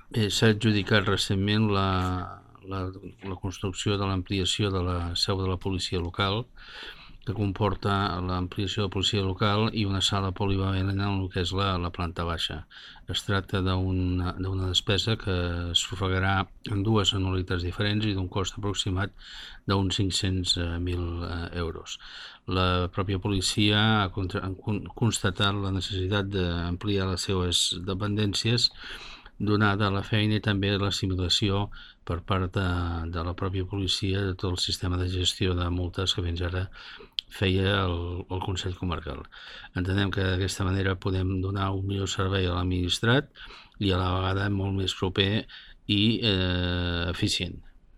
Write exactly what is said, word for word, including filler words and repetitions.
Bé, s'ha adjudicat recentment la, la, la construcció de l'ampliació de la seu de la policia local, que comporta l'ampliació de la policia local i una sala polivalent en el que és la, la planta baixa. Es tracta d'una despesa que s'ofegarà en dues anualitats diferents i d'un cost aproximat d'uns cinc-cents mil euros. La pròpia policia ha constatat la necessitat d'ampliar les seves dependències donada la feina i també l'assimilació per part de, de la pròpia policia de tot el sistema de gestió de multes que fins ara feia el, el Consell Comarcal. Entenem que d'aquesta manera podem donar un millor servei a l'administrat i a la vegada molt més proper i eh, eficient.